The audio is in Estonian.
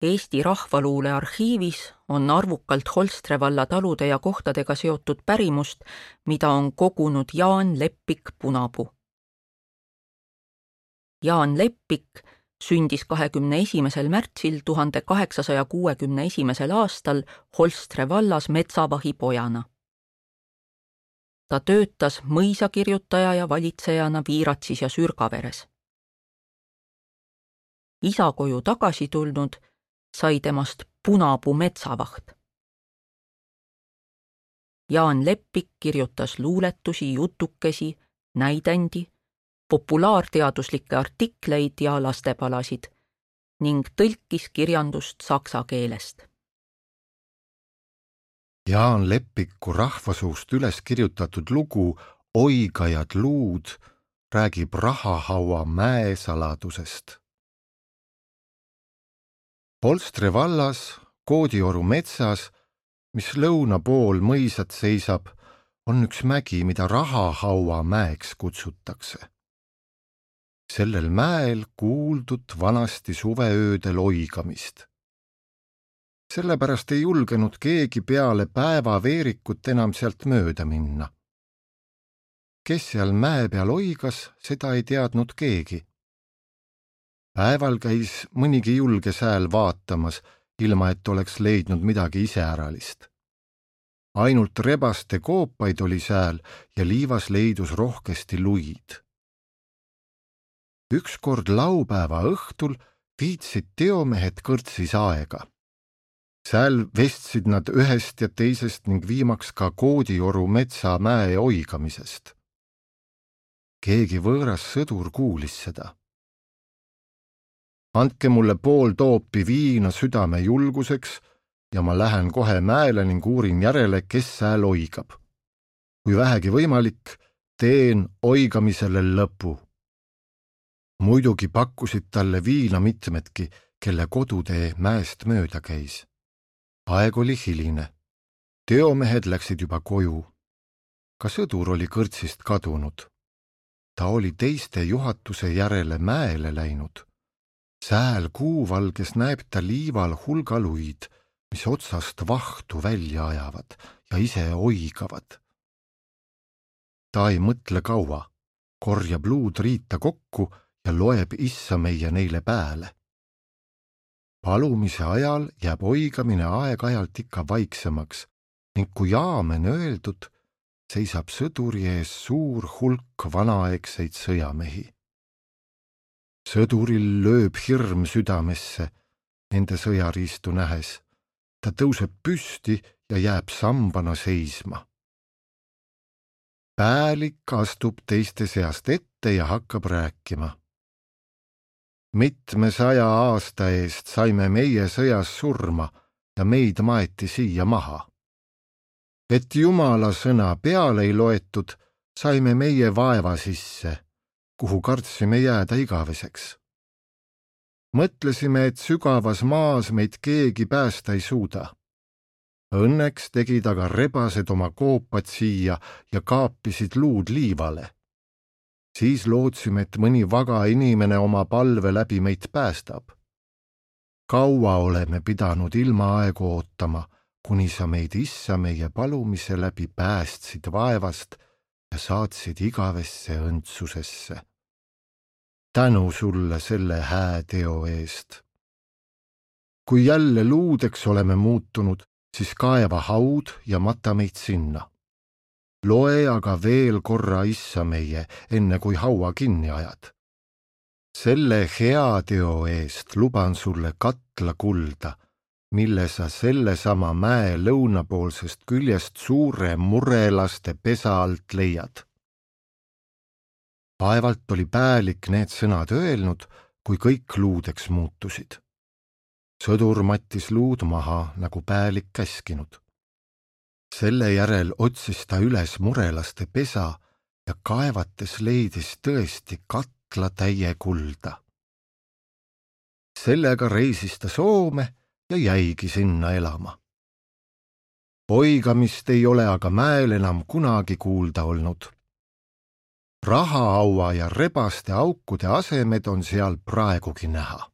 Eesti Rahvaluule arhiivis on arvukalt Holstre valla talude ja kohtadega seotud pärimust, mida on kogunud Jaan Leppik Punapuu. Jaan Leppik sündis 21. märtsil 1861. aastal Holstre vallas metsavahi pojana. Ta töötas mõisakirjutaja ja valitsejana Viiratsis ja Sürgaveres. Isa koju tagasi tulnud sai temast Punapuu metsavaht. Jaan Leppik kirjutas luuletusi, jutukesi, näidendi, populaarteaduslikke artikleid ja lastepalasid ning tõlkis kirjandust saksa keelest. Jaan Leppiku rahvasuust üles kirjutatud lugu Oigajad luud räägib Rahahaua mäe saladusest. Holstre vallas, Koodioru metsas, mis lõuna pool mõisat seisab, on üks mägi, mida Rahahaua mäeks kutsutakse. Sellel mäel kuuldud vanasti suveöödel oigamist. Sellepärast ei julgenud keegi peale päevaveerikut enam sealt mööda minna. Kes seal mäe peal oigas, seda ei teadnud keegi. Päeval käis mõnigi julge sääl vaatamas, ilma et oleks leidnud midagi iseäralist. Ainult rebaste koopaid oli sääl ja liivas leidus rohkesti luid. Ükskord laupäeva õhtul viitsid teomehed kõrtsis aega. Sääl vestsid nad ühest ja teisest ning viimaks ka Koodioru metsa mäe oigamisest. Keegi võõras sõdur kuulis seda. Andke mulle pool toopi viina südame julguseks ja ma lähen kohe mäele ning uurin järele, kes sääl oigab. Kui vähegi võimalik, teen oigamisele lõpu. Muidugi pakkusid talle viina mitmedki, kelle kodutee mäest mööda käis. Aeg oli hiline. Teomehed läksid juba koju. Ka sõdur oli kõrtsist kadunud. Ta oli teiste juhatuse järele mäele läinud. Sääl kuuvalges näeb ta liival hulga luid, mis otsast vahtu välja ajavad ja ise oigavad. Ta ei mõtle kaua, korjab luud riita kokku ja loeb issa meie neile pääle. Palumise ajal jääb oigamine aeg-ajalt ikka vaiksemaks ning kui aamen öeldud, seisab sõduri ees suur hulk vanaaegseid sõjamehi. Sõduril lööb hirm südamesse nende sõjariistu nähes. Ta tõuseb püsti ja jääb sambana seisma. Päälik astub teiste seast ette ja hakkab rääkima. Mitme 100 aasta eest saime meie sõjas surma ja meid maeti siia maha. Et Jumala sõna peale ei loetud, saime meie vaeva sisse, kuhu kartsime jääda igaveseks. Mõtlesime, et sügavas maas meid keegi päästa ei suuda. Õnneks tegid aga rebased oma koopad siia ja kaapisid luud liivale. Siis lootsime, et mõni vaga inimene oma palve läbi meid päästab. Kaua oleme pidanud ilma aegu ootama, kuni sa meid issa meie palumise läbi päästsid vaevast ja saatsid igavesse õndsusesse. Tänu sulle selle hää teo eest. Kui jälle luudeks oleme muutunud, siis kaeva haud ja mata meid sinna. Loe aga veel korra issa meie, enne kui haua kinni ajad. Selle hea teo eest luban sulle katla kulda, mille sa sellesama mäe lõunapoolsest küljest suure murelaste pesa alt leiad. Vaevalt oli päälik need sõnad öelnud, kui kõik luudeks muutusid. Sõdur mattis luud maha, nagu päälik käskinud. Selle järel otsis ta üles murelaste pesa ja kaevates leidis tõesti katla täie kulda. Sellega reisis ta Soome ja jäigi sinna elama. Oigamist ei ole aga mäel enam kunagi kuulda olnud. Rahahaua ja rebaste aukude asemed on seal praegugi näha.